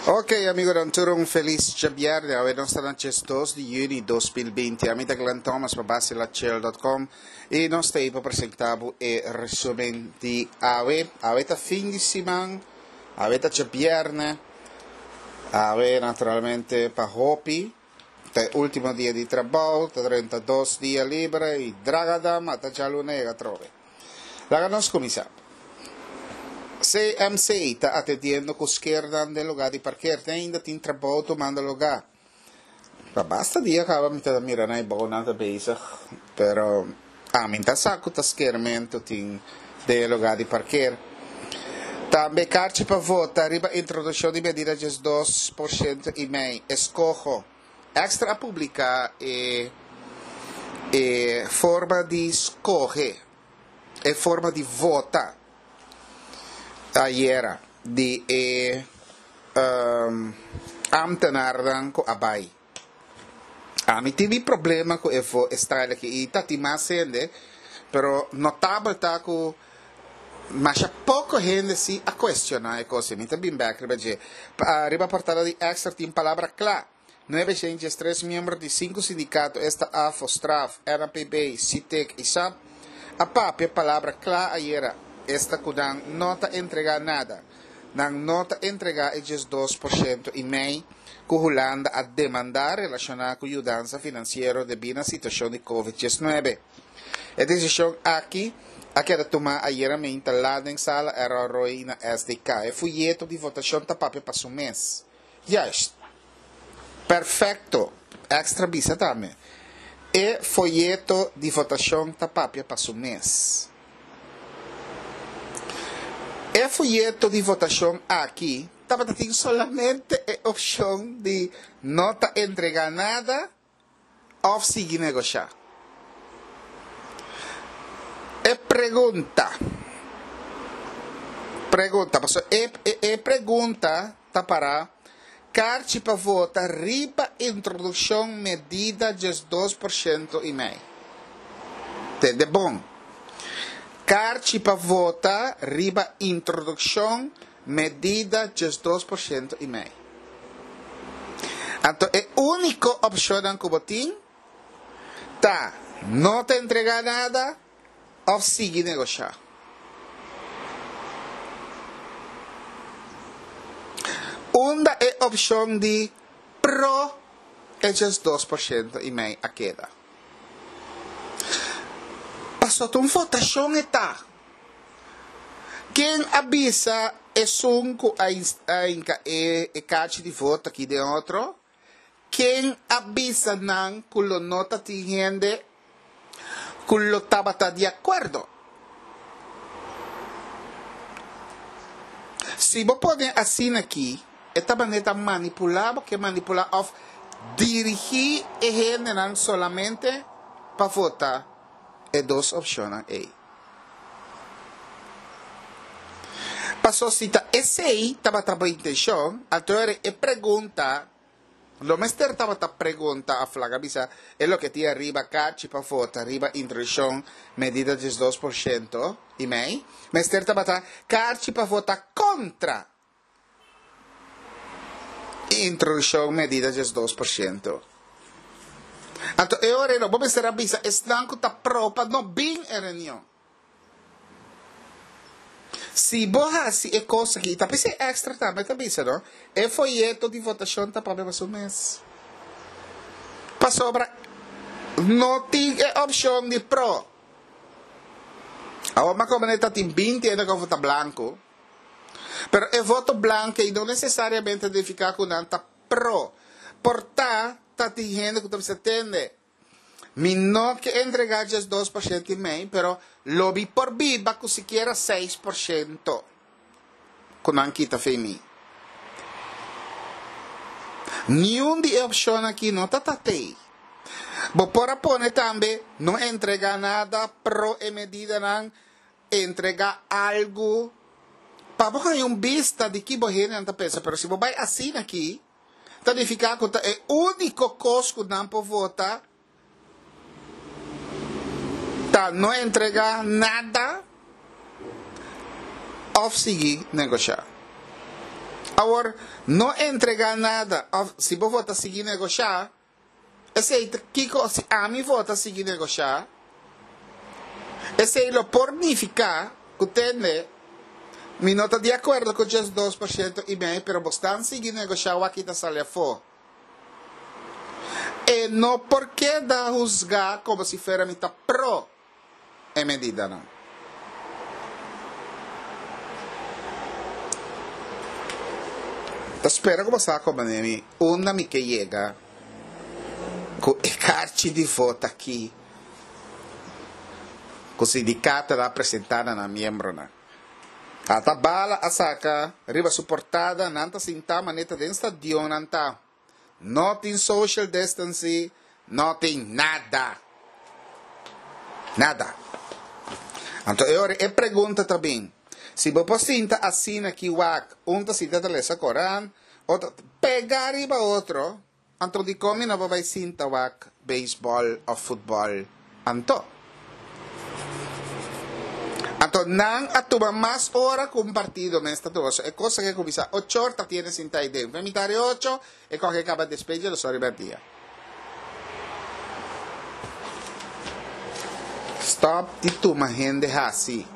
Ok, amigonan tur un felis djabièrnè. Awe nos ta na 12 di yüni 2020. Ami ta Glenn Thomas pa basilachel.com i nos ta ei pa presentá bo e resumen di awe. Awe ta fin di siman, awe ta djabièrnè. Awe naturalmente pa hopi ta e último dia di trabou, ta 32 dia libre i dragadam ata djaluna yega atrobe. Laga nos kuminsá. CMC ta atendiendo ku skernan den lugá di parker. Te ainda tin trabou tumando lugá. Pa basta dia kaba mi ta mira nan e bounan ta bezig, pero ami ta sa ku ta skermentu tin den e lugá di parker. Tambe karchi pa vota riba introdukshon di medida 12% i mei. Eskoho. Extra a publiká e e forma di skohe, e forma di vota ayera di e ámtenarnan ku a bai. Ami tin mi problema ku e vo e style aki i ta tin mas hende, pero notabel ta ku masha poko hende si a kuestioná e kos ei. Mi ta bin bèk riba dje. Riba portada di Extra tin palabra kla. 903 miembro di sinku sindikato, esta AFO, Straf, NAPB, Sitek i sap, a papia palabra kla ayera, esta ku nan no ta entregá nada. Nan no ta entregá e 12% i mei ku Hulanda a demandá relashoná ku yudansa finansiero debí na situashon di Covid 19. E desishon aki a keda tumá ayera meinta lat den sala Errol Roy na SDK. E fuyeto di votashon ta papia pa su mes. Juist. Perfecto. Extra bisa tambe. E foyeto di votacion ta papia pa su mes. E foyeto di votacion aki tabata tin solamente e opcion di no ta entrega nada òf sigui negoshá? E pregunta, pregunta, pasobra e e pregunta ta pará, karchi pa vota riba introdukshon medida 12% i mei. Tende bon. Karchi pa vota riba introdukshon Medida 12% i mei. Anto e úniko opshonnan ku bo tin ta no ta entregá nada òf sigui negoshá. Unda e opshon di pro e 12% i mei a keda? Pasobra ta un votashon e ta. Ken a bisa esun ku a hinka e kachi di voto aki den otro? Ken a bisa nan ku lo no ta tin hende ku lo tabata di akuerdo? Si bo pone asina aki, e ta manera ta manipulá bo ke manipulá òf dirigí e hendenan solamente pa vota e dos opshonnan ei. Paso si ta esei tabata bo intenshon, anto ora e pregunta lo mester tabata pregunta of laga bisa e loke tin ariba kachi pa vota riba introduccion medida 12% i mei, mester tabata kachi pa vota kontra Introduccion medida 12%. Anto e ora bo mester a bisa esnan cu ta pro pa no bin e reunion. Si bo haci e cos aki, ta p'esei extra tambe ta bisa no, e folleto di votacion ta papia pa su mes. Pasobra no tin e opcion di pro. Awor makomane ta tin 20 hende cu a vota blanco. Pero e voto blanco ei no necesariamente ta nifica cu nan ta pro. Por ta, ta tin hende cu ta bisa, Tende, mi no ke entrega 12% i mei, pero lo mi por biba cu sikiera 6% cu nan kita fei mi. Niun di e opcionnan aki no ta tatei. Bo por a pone tambe, no entrega nada, pro e medidanan, Entrega algu pa bo haña un bista di ki bo hendenan ta pensa. Pero si bo bai asina aki, ta nifiká ku ta e úniko kos ku nan por vota ta no entregá nada òf sigui negoshá. Awor, no entregá nada òf si bo vota sigui negoshá, esei ta kiko si ami vota sigui negoshá, esei lo por nifiká ku tende mi no ta di akuerdo ku djes 2% i mei pero bo stan sigui negoshá wak ta sali afó. E no por keda husgá komo si fuera mi ta pro e medidanan. Ta spera ku bo sa komprendé mi unda mi ke yega ku e karchi di vota aki ku sindikatonan a presentá na nan miembronan. Ata bala a saka riba su portada nan ta sintá manera ta den stadion nan ta. No tin social distancing, no tin nada. Nada. Anto e ora e pregunta ta bin, si bo por sinta asina ki wak, un ta sinta ta lesa Koran, otro pega riba otro, anto dikon mi no por bai sinta wak beisbòl òf futbòl anto? Anto nan a tuma mas ora ku un partido mes ta tuma. So e kos aki a kuminsá ocho or ta tiene sinta ei den. Mitad di ocho e kòke kaba despeje los ora riba dia. Stòp di tuma hende hasi.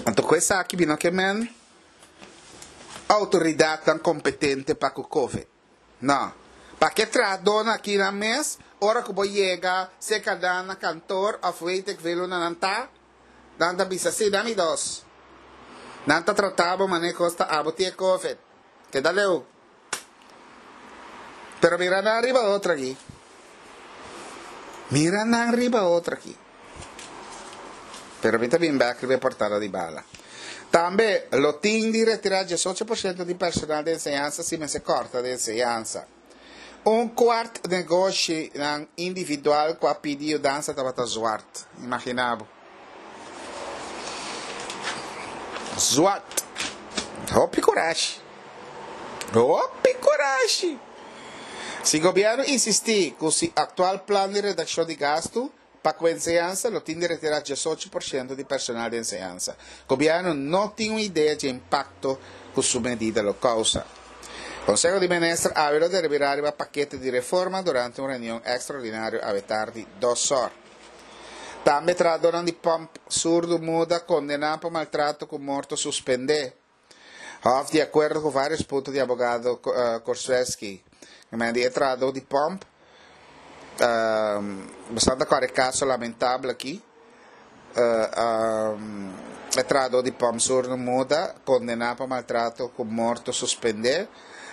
Anto ku esaki bino ke men outoridatnan kompetente pa ku covid. No. Pa ke trahadónan aki nan mes, ora ku bo yega serka nan na kantor òf weet ik veel unda nan ta, nan ta bisa, Sí, dami dos. Nan ta trata bo manera kos ta abo tin e covid. Keda leu. Pero mira nan riba otro aki. Mira nan riba otro aki. Pero mi ta bin bek riba e portada di bala. Tambe lo tin di retirá 18% di personal di enseñansa si mester kòrta di enseñansa. Un kuart negoshinan individual ku a pidi yudansa tabata zwart. Imaginá bo. Zwart. Hopi kurashi. Hopi kurashi! Si gobièrnu insistí ku si aktual plan di redakshon di gastu, Pa ku enseñansa lo tin di retirá 18% di personal di enseñansa. Gobièrnu no tin un idea dje impakto ku su medida lo kousa. Konseho di Minister awe lo deliberá riba pakete di reforma durante un reunion ekstraordinario awe tardi dos òr. Tambe trahadónan di pòmp surdu muda kondená pa maltrato ku morto suspendé. Hof di akuerdo ku vários punto di abogado Korsueski. Men di e trahadó di pòmp, Bastante a kòrda e kaso lamentabel aki. E trahadó di pòmp surno muda, kondená pa maltrato ku morto suspendé.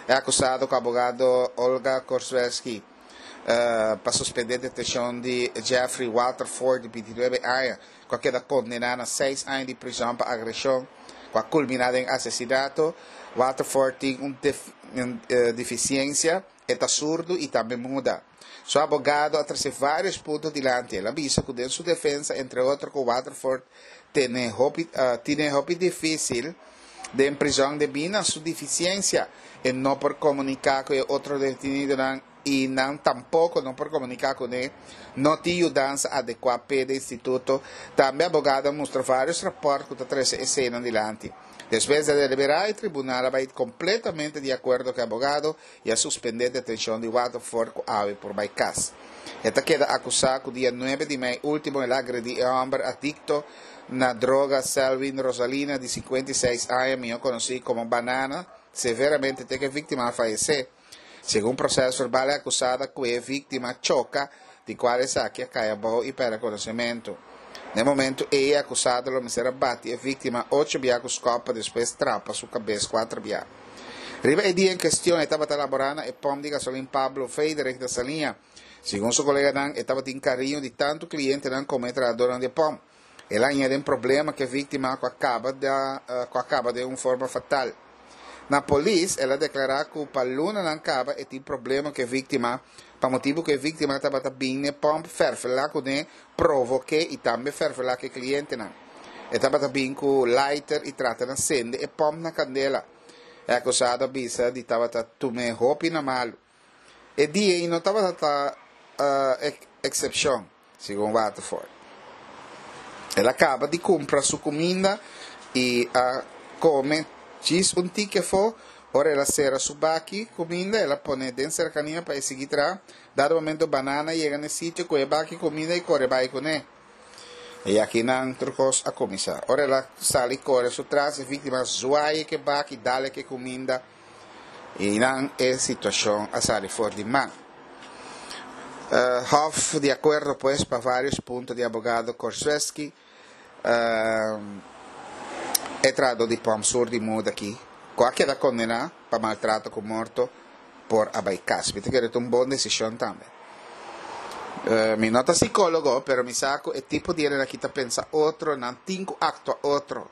E akusado ku abogado Olga Korsueski pa suspendé detenshon di Jeffrey Waterford di 29 aña, ku a keda kondená na seis aña di prizòn pa agreshon. ku a kulminá den asesinato. Waterford tin un defisiensia, e ta surdu i tambe muda. Su abogado a trese vários punto dilanti. El a bisa ku den su defensa, entre otro ku Waterford tene hopi tine hopi difísil den prizòn debí na su defisiensia. E no por komuniká ku e otro detenidonan i nan tampoko no por komuniká kuné, no tin yudansa adekuá p'e den instituto. Tambe abogado a mustra vários rapòrt ku ta trese eseinan dilanti. Despues di a deliberá, e tribunal a bai kompletamente di akuerdo ku e abogado i a suspendé detenshon di Waterford ku awe por bai kas. E ta keda akusá ku dia nuebe di mei último el a agredí e hòmber adikto na droga Selwyn Rosalina di 56 aña, mihó konosí komo Banana, severamente te ku e víktima a fayesé. Segun proces verbal e acusada cu e victima choca, di cual esaki a cay abou y perde conocimento. Na e momento ey e acusado lo mester a bati e victima ocho bia cu scop pa despues trapa su cabes cuater bia. Riba e dia en cuestion e tabata labora na e pomp di gasolin Pablo Frederik na Saliña. Segun su coleganan e tabatin cariño di tanto clientenan como e trahadornan di e pomp. El a haña den problema ku e víktima ku a kaba ku a kaba den un forma fatal. Na polis el a deklará ku pa lunanan kaba e tin problema ku e víktima pa motibu ku e víktima tabata bin n'e pòmp fèrfelá kuné, provok'é i tambe fèrfelá ku e klientenan. E tabata bin ku lighter i trata na sende e pòmp na kandela. E akusado a bisa di tabata tum'é hopi na malu. E dia ei no tabata ta eksepshon, segun Waterford. El a kaba di kumpra su kuminda i a kome djis un tiki afó. Ora el a sera su baki kuminda, el a pone den serkania pa e sigui traha. Dado momento Banana a yega na e sitio ku e baki kuminda i kore bai kuné. I akinan tur kos a kuminsá. Ora el a sali kore su tras, e víktima a zuai ku e baki, dal ku e kuminda i nan e situashon a sali for di man. Hof di akuerdo pues pa varios punto di abogado Korsweski, e trahadó di Pòmp Sur di Muda aki, ku a keda kondená pa maltrato ku morto, por a bai kas. Mi ta kere ta un bon desishon tambe. Mi no ta sikólogo, pero mi sa ku e tipo di hende aki ta pensa otro, nan tin ku aktua otro.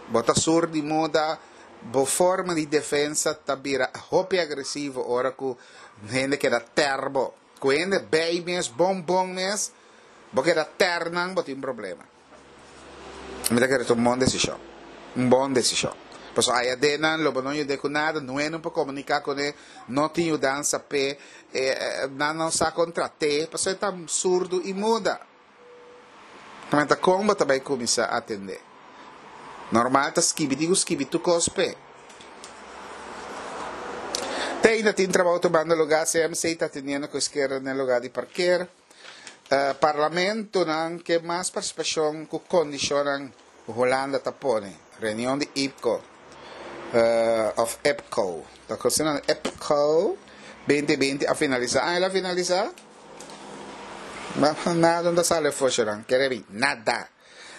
Bo ta sur di muda, bo forma di defensa ta bira hopi agresivo ora ku hende keda tèr bo. Ku hende bei mes, bon bon mes, bo keda tèr nan, bo tin problema. Mi ta kere ta un bon desishon. Un bon desishon. Pasobra aya den nan lo bo no yud'é ku nada, nué no por komuniká kuné, no tin yudansa p'e, nan no sa kon trat'é, pasobra e ta surdu i muda. Nan ta kon bo ta bai kuminsá atendé? Normal ta skibi, tin ku skibi tur kos p'e. Te ainda tin trabou tumando lugá, CMC ta atendiendo ku eskerda den lugá di parker. Parlamentonan ke mas partisipashon ku kondishonnan ku Hulanda ta pone. Reunion di IPCO òf EPCO, ta kos nan EPCO 2020 a finalisá. Ah, el a finalisá? Nada no ta sali afó shornan, kere bin, nada.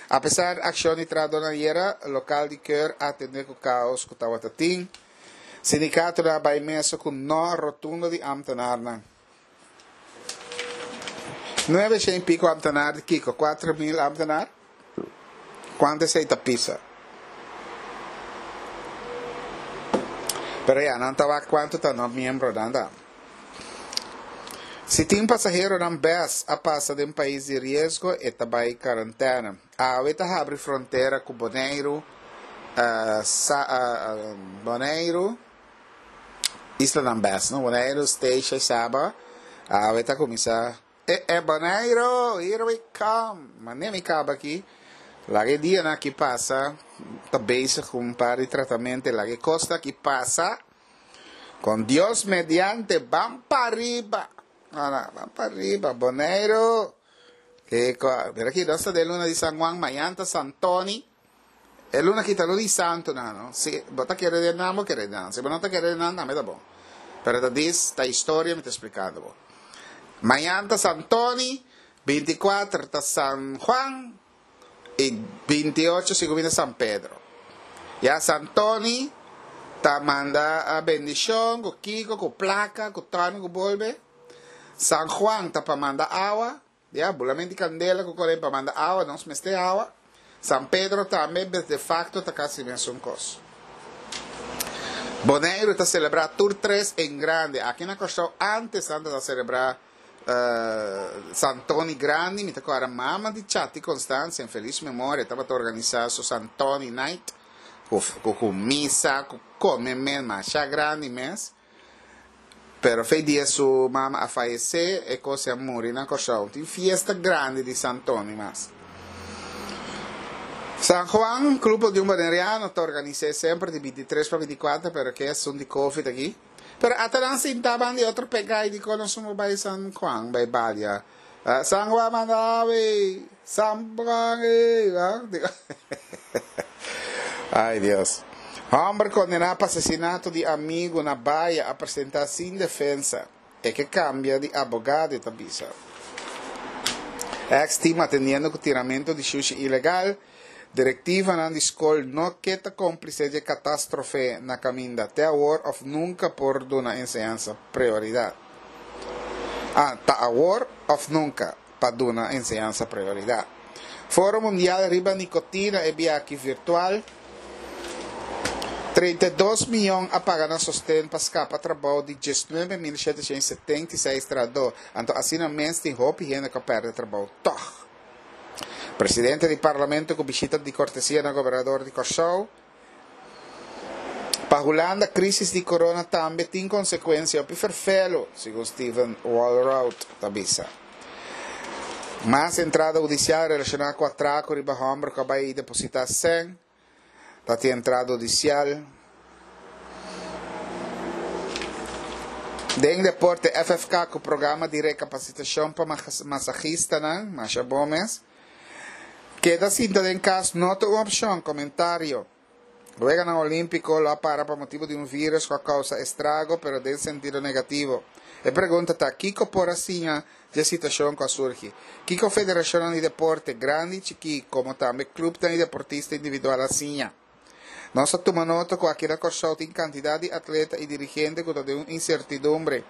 Apesar akshon di trahadónan ayera, lokal di keur a atendé ku kaos ku tabata tin. Sindikatonan a bai mesa ku no rotundo di ámtenarnan. Nuebe shen i piko ámtenar di kiko? 4000 ámtenar? Kuantu esei ta pisa? Pero ya, nan ta wak kuantu ta no miembronan ta. Si tin pasaheronan bes a pasa den pais di riesgo, e ta bai karantena. Awe ta habri frontera ku Boneiru, sa, Boneiru, Islanan bes, no? Boneiru, Statia i Saba. Awe ta kuminsá. E e Boneiru, here we come! Mane mi kaba aki. Laga e dianan aki pasa. Ta bezig ku un par di tratamentu. Laga e kosnan aki pasa. Kon Dios mediante, ban pariba! Ana, ban pariba, Boneiru! Kiko? Mira aki, nos ta den luna di San Juan, mañan ta San Tony. E luna aki ta luna di santunan, no? Si bo ta kere den nan, bo kere den nan. Si bo no ta kere den nan, tambe ta bon. Pero ta dis, ta historia mi ta splikando bo. Mañan ta San Tony, 24 ta San Juan, i 28 si ku bini San Pedro. Ya San Tony ta manda bendishon ku kiko, ku plaka, ku tòni ku bolbe. San Juan ta pa manda awa. Ya, bulament di kandela ku kore pa manda awa, nos mester awa. San Pedro tambe, de facto ta kasi mesun kos. Boneiru ta selebrá tur tres en grande. Aki na Kòrsou ántes nan ta selebrá San Tony grandi. Mi ta kòrda mama di Chati Constancia, en felis memoria, tabata organisá su San Tony night ku ku misa, ku kome mes, masha grandi mes. Pero fe dia su mama a fayesé, e kos a muri na Kòrsou. Tin fiesta grandi di San Tony mas. San Juan, Grupo di un Boneriano ta organis'é semper di 23 pa 24, pero ke asuntu di Covid aki. Pero ata nan sinta ban di otro pegá i dikon nos no bai San Juan, bai balia. San Juan manda awe, San Juan ey. Ay Dios. Homber kondená pa asesinato di amigu na Baya a presentá sin defensa. E ke kambia di abogado, e ta bisa. Ex team atendiendo ku tiramento di shushi ilegal. Direktivanan di skol no ke ta kómplise dje katastrofe na kaminda. Te awor òf nunka por duna enseñansa prioridat. Ah, ta awor òf nunka pa duna enseñansa prioridat. Foro Mundial riba Nikotina e biaha virtual. 32 miyon a paga nan sosten pa skapa trabou di 19.776 trahadó. Anto asina mes tin hopi hende ku a pèrdè trabou tòg. Presidente di Parlamento ku bishita di kortesia na Gobernador di Kòrsou. Pa Hulanda krisis di corona tambe tin konsekuensia hopi ferfelu, segun Steven Walroud ta bisa. Mas entrada hudisial relashoná ku atrako riba hòmber ku a bai depositá sèn. Ta tin entrada hudisial. Den deporte FFK ku programa di rekapasitashon pa masahistanan, masha bon mes. Keda sinta den kas no ta un opshon, komentario. Weganan Olímpiko lo a para pa motibu di un vírus ku a kousa estrago, pero den sentido negativo. E pregunta ta, kiko por a siña dje situashon ku a surgi? Kiko federashonnan di deporte, grandi i chikí, komo tambe klupnan i deportista individual a siña? Nos a tuma nota ku aki na Kòrsou tin kantidat di atleta i dirigente ku ta den un insertidumbre.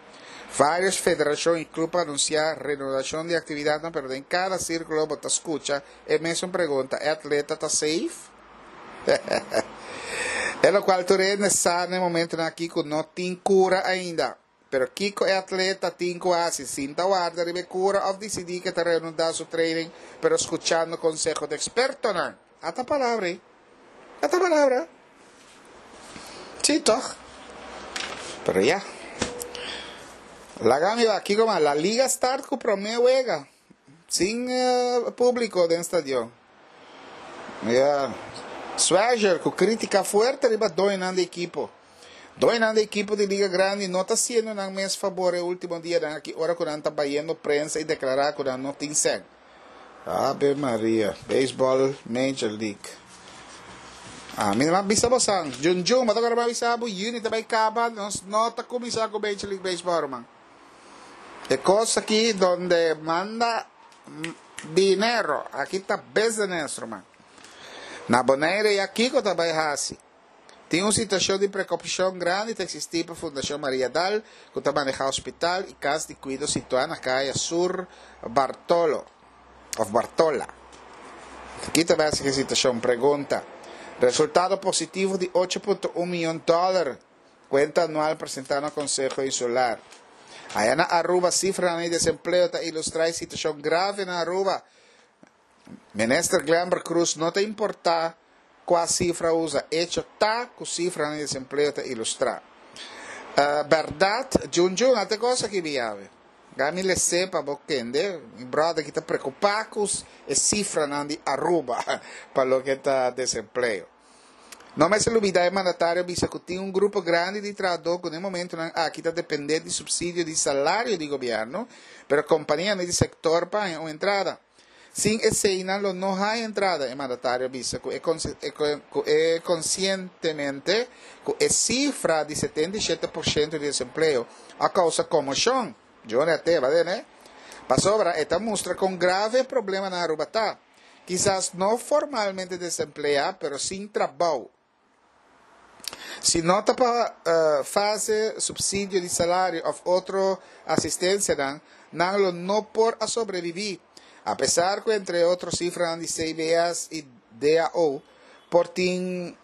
Vários federashon i klup a anunsiá renodashon di aktividatnan, pero den kada sírkulo bo ta skucha e mesun pregunta, e atleta ta safe? E lokual tur hende sa na e momentunan aki ku no tin kura ainda. Pero kiko e atleta tin ku hasi? Sinta warda riba e kura òf disidí ku e ta renundá su training pero skuchando konseho di ekspertonan? Ata palabra ei. Ata palabra. Sí, tòg. Pero ya. Laga mi wak kiko mas. La Liga start ku promé wega. Sin públiko den stadion. Ya. Swager ku krítika fuerte riba doñonan di ekipo. Doñonan di ekipo di Liga Grandi no ta hasiendo nan mes fabor e último dianan aki ora ku nan ta bayendo prensa i deklará ku nan no tin sèn. Ave Maria. Baseball Major League. Ami no a bisa bosan. Jun Jun, bo ta kòrda mi a bisa bo yüni ta bai kaba, nos no ta kuminsá ku Major League Baseball, ruman. E kos aki donde manda dinero, aki ta business, ruman. Na Bonaire ya kiko ta bai hasi? Tin un situashon di prekopashon grandi ta eksistí pa Fundashon Maria Dal, ku ta manehá hospital i kas di kuido situá na kaya Sur Bartolo òf Bartola. Ki ta bai hasi ku e situashon? Pregunta. Resultado positivo di 8.1 mion dòler Cuenta anual presenta na Conseho Insular. Aya na Aruba cifranan di desempleo ta ilustra e situacion grave na Aruba. Minister Glenbert Croes no ta importa cua cifra usa, hecho ta cu cifranan di desempleo ta ilustra. Berdad, Jun Jun, ate cos aki mi yawe. Gami lese pa bo kende, mi brother ki ta preocupa cu e cifranan di Aruba pa loke ta desempleo. No mester lubidá e mandatario a bisa ku tin un grupo grandi di trahadó ku na e momentunan aki ta dependé di supsidio di salario di gobièrnu, pero kompanianan di sektor pa haña un entrada. Sin eseinan lo no haña entrada, e mandatario a bisa ku e ku e konsientemente ku e sifra di 77 por shento di desempleo a kousa komoshon. Johnny a teba den e, pasobra e ta mustra kon grave e problema na Aruba ta. Kisas no formalmente desempleá, pero sin trabou. Si no ta pa fase, supsidio di salario òf otro asistensianan, nan lo no por a sobrebibí. Apesar ku entre otro sifranan di CBS i DAO por tin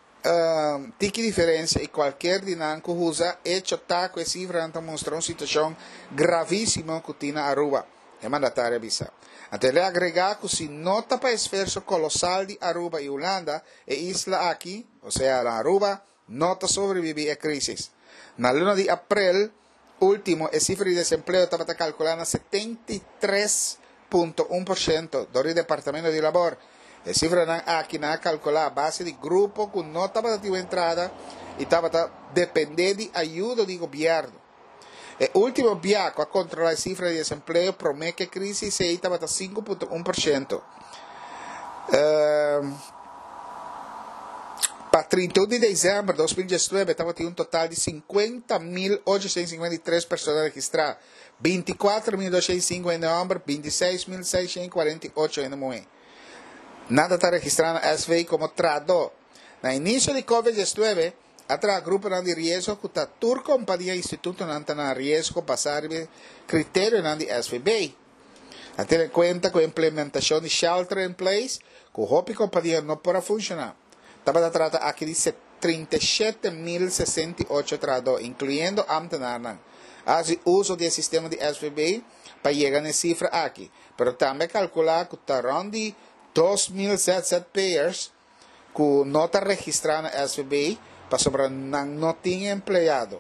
tiki diferensia i kualker di nan ku usa, echo ta ku e sifranan ta mustra un situashon gravísimo ku tin na Aruba. E mandatario a bisa. Anto el a agregá ku si no ta pa esferso kolosal di Aruba i Hulanda, e isla aki, osea na Aruba, no ta sobrebibí e krísis. Na luna di aprel último e sifra di desempleo tabata kalkulá na 73.1% dor di Departamento di Labor. E sifranan aki nan a kalkulá a base di grupo ku no tabata tin un entrada i tabata dependé di ayudo di gobièrnu. E último bia ku a kontrolá e sifra di desempleo promé ku e krísis ei tabata 5.1%. Pa 31 di desèmber 2019 tabatin un total di 50.853 persona registrá, 24.205 hende hòmber, 26.648 hende muhé. Nan ta ta registrá na SV komo trahadó. Na inisio di Covid 19, A traha gruponan di riesgo ku ta tur kompania i institutonan ta na riesgo basá riba e kriterionan di SVB. A tene kuenta ku e implementashon di shelter in place ku hopi kompania no por a funshoná. Tabata trata aki di 37.068 trahadó, inkluyendo ámtenarnan. A hasi uso di e sistema di SVB pa yega na e sifra aki, pero tambe a kalkulá ku ta rònt di 2.000 zzp'ers ku no ta registrá na SVB pasobra nan no tin empleado.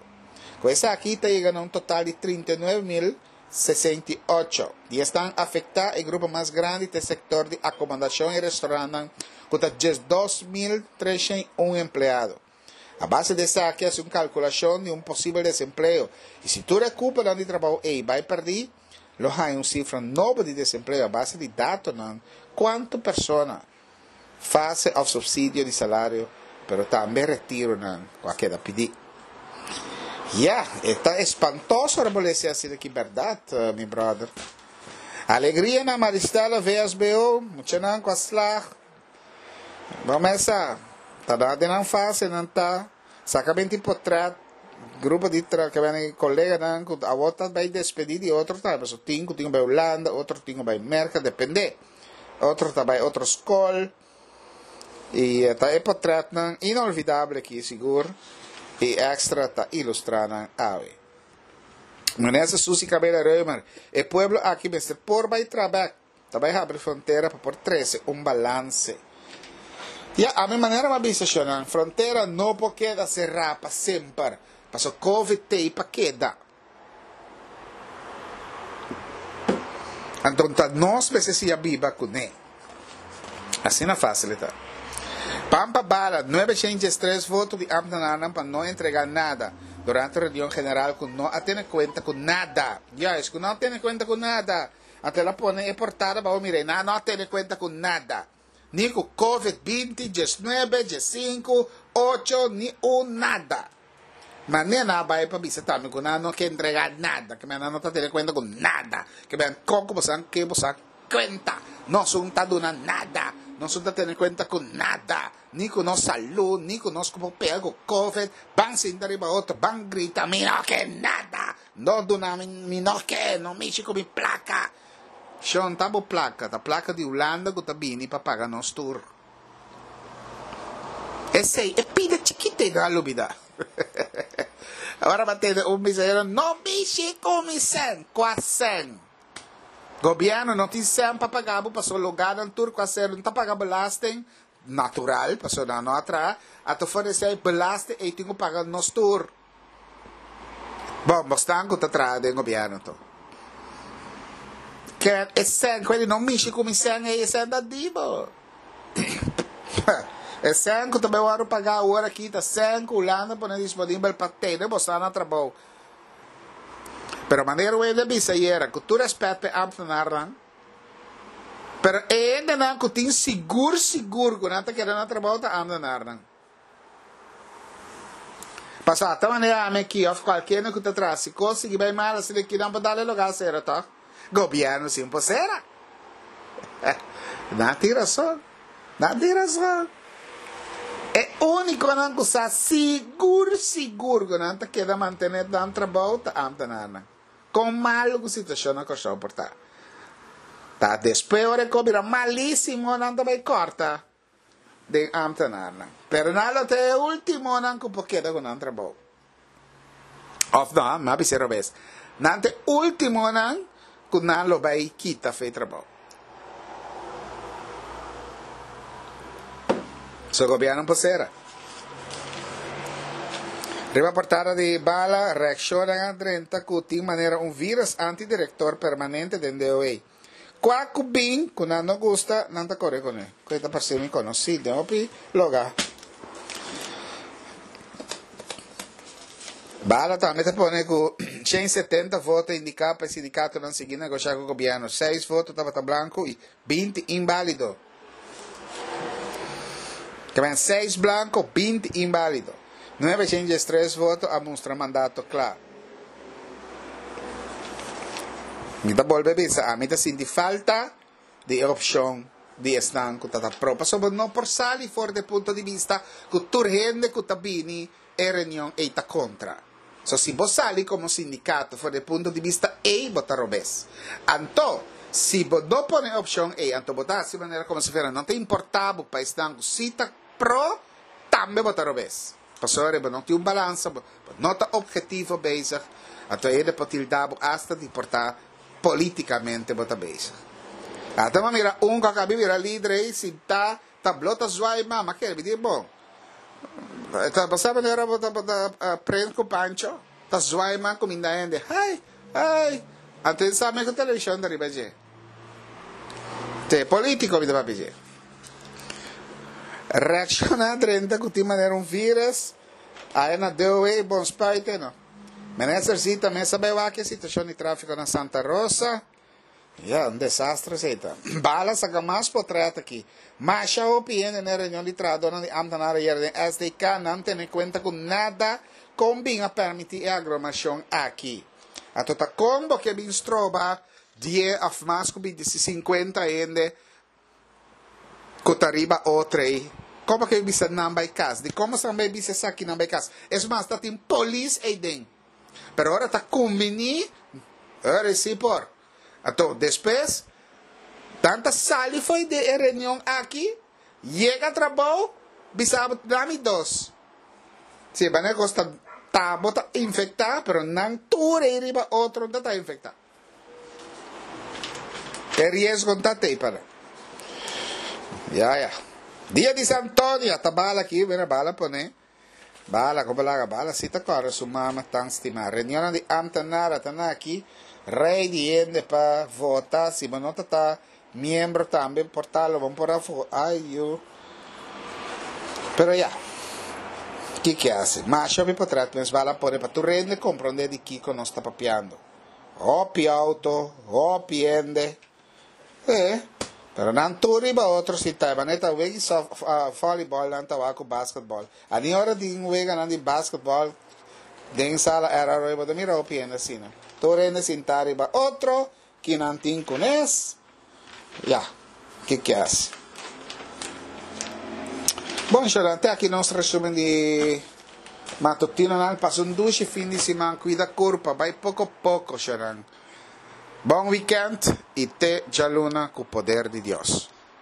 Ku esaki ta yega na un total di 39.000 68. Di esnan afektá, e grupo mas grandi ta e sektor di akomodashon i restorantnan ku ta 12,301 empleado. A base di esaki hasi un kalkulashon di un posibel desempleo i si tur e kuponan di trabou ei bai pèrdí, lo haña un sifra nobo di desempleo a base di datonan kuantu persona, fase òf supsidio di salario, pero tambe retironan ku a keda pidí. Ya, e ta espantoso ora bo lesa asina ki bèrdat, mi bròder. Alegria na Maristella VSBO, muchanan ku a slag. Bo mesa ta da den nan fase nan ta saka binti potret grupo di tra ke bene koleganan ku awor ta bai despedi di otro ta pasobra tin ku tin ku bai Hulanda otro tin ku bai Merka depende otro ta bai otro skol i ta e potretnan inolvidable aki sigur i extra ta ilustra nan awe. Minister Suzy Cabela Römer, e pueblo aki mester por bai tra bek. Ta bai habri frontera pa por trese un balanse. Ya, ami manera m'a bisa shonnan, frontera no por keda será pa semper, paso covid t'ei pa keda. Anto ta nos mester siña biba kuné. Asina fásil e ta. Pampa bala, 903 voto di ámtenarnan pa no entregá nada durante reunion general ku no a tene kuenta ku nada. Juist, ku no a tene kuenta ku nada. Anto el a pone e portada pa bo mira, i nan no a tene kuenta ku nada, ni ku covid 20, 19, 15, ocho, ni un nada. Manera nan a bai pa bisa tambe ku nan no ke entregá nada, ke nan no ta tene kuenta ku nada, ke men kon ku boso ke boso a kuenta, nos un ta duna nada, nos un ta tene kuenta ku nada, ni ku nos salú, ni ku nos ku por pega ku covid, ban sinta riba otro, ban grita, mi no ke nada. No duna mi, mi no ke, no mishi ku mi plaka. Shon, ta bo plaka, ta plaka di Hulanda ku ta bini pa paga nos tur. Esei, e pida chikito ei no a lubida. Ora bo a tende un bisayero, no mishi ku mi sèn, kua sèn? Gobièrnu no tin sèn pa paga bo pasobra loganan tur ku a ser no ta paga belasting, natural, pasobra nan no a traha, anto for di esei belasting ei tin ku paga nos tur. Bon, bosnan ku ta traha den gobièrnu to. Ken e sèn ku e di no mishi ku mi sèn ei, e sèn ta di bo. E sèn ku ta bai wòrdu pagá awor aki ta sèn ku Hulanda pone disponibel pa tene bosnan na trabou. Pero manera Wende a bisa ayera, ku tur rèspèt pa e ámtenarnan, pero e hendenan ku tin sigur sigur ku nan ta keda na trabou ta ámtenarnan. Pasobra ta manera ami aki of cualkier cu ta traha si cos sigui bay mal asina aki nan por dal e lugar cera toch? Gobierno sin por cera. Nan tin razon. Nan tin razon. E uniconan cu sa sigur sigur cu nan ta keda mantene nan trabou ta ambtenaarnan. Con malo cu situacion na Corsou por ta. Ta despues ora e cos bira malisimo nan ta bay corta. den ámtenarnan. Pero nan lo ta e últimonan ku por keda ku nan trabou. Òf no, mi a bisa robes. Nan ta e últimonan ku nan lo bai kita for e trabou. So gobièrnu por sera. Riba portada di bala, reakshonnan a drenta ku tin manera un vírus anti-direktor permanente den DOE. Kua ku bin ku nan no gusta, nan ta kore kuné. Ku e ta parse mi konosí den hopi lugá. Bala tambe ta pone ku 170 voto indiká pa e sindikatonan sigui negoshá ku gobièrnu. Seis voto tabata blanku i 20 inbálido. Tabatin seis blanko, 20 inbálido. 913 voto a mustra mandato kla. Mi ta bolbe bisa, ami ta sinti falta di e opshon di esnan ku ta ta pro. Pasobra bo no por sali for di e punto di bista ku tur hende ku ta bini e reunion ei ta kontra. So si bo sali komo sindikato for di e punto di bista ei bo ta robes. Anto, si bo no pone e opshon ei, anto bo ta hasi manera komo si fuera no ta importa bo pa esnan ku si ta pro, tambe bo ta robes. Pasobra bo no tin un balansa, bo no ta obhetivo bezig, anto hende por tilda bo asta di por ta politikamente bo ta bezig. Ata bo mira un ku a kabi bira lider ei sintá Ta blo ta zwaai mama kere mi di bon. Ta bo sa manera bo ta bo ta prent ku Pancho ta zwaai man kuminda hende. Hai, hai. Anto e sa me ku televishon ta riba dje. Te polítiko mi ta papia dje. Reakshoná drenta ku tin manera un vírus aya na DOW bon spuite no. Minister Zita mes a bai wak e situashon di tráfiko na Santa Rosa. Ya, un desastre esei ta. Bala saka mas potret aki. Masha hopi hende na e reunion di trahadornan di ambtenaar ayer den SDK nan tene kuenta ku nada kon bin a permití e agromashon aki. Anto ta kon bo ke bin stroba die òf mas ku binti si sinkuenta hende ku ta riba otro ei? Kon bo ke bin bisa nan bai kas? Dikon bo san bai bisa esakinan bai kas? Es mas ta tin polis ei den. Pero ora ta kumbiní, ora sí por. Anto despues nan ta sali fo'i di e reunion aki, yega trabou, bisa bo dami dos. Sí, manera kos ta ta bo ta infektá, pero nan tur ei riba otro no ta infektá. E riesgo no ta tei pa nan. Ya, ya. Dia di San Antonio, ta bala aki, mira bala pone. Bala, ku balaga bala si ta kòrda su mama tan stimá. Reunionnan di ámtenar a ta na aki, rei di hende pa vota, si bo no ta ta miembro tambe por ta lo bo por a vo, ai yu. Pero ya, kiko hasi? Masha hopi potret mes bala pone pa tur hende komprondé di kiko nos ta papiando. Hopi outo, hopi hende. E, pero nan tur riba otro si ta, manera ta wega soft, volleyball nan ta wak ku basketball. A ni ora tin weganan di basketball den sala RRO bo ta mira hopi hende asina. Tur hende sinta riba otro, kinan tin kunes. Ya, ke ke hasi. Bon, shornan, te aki nos resumen di matutinonan. Pasa un dushi fin di siman, kuida kurpa, bai poko poko, shornan. Bon weekend y te djaluna cu poder di Dios.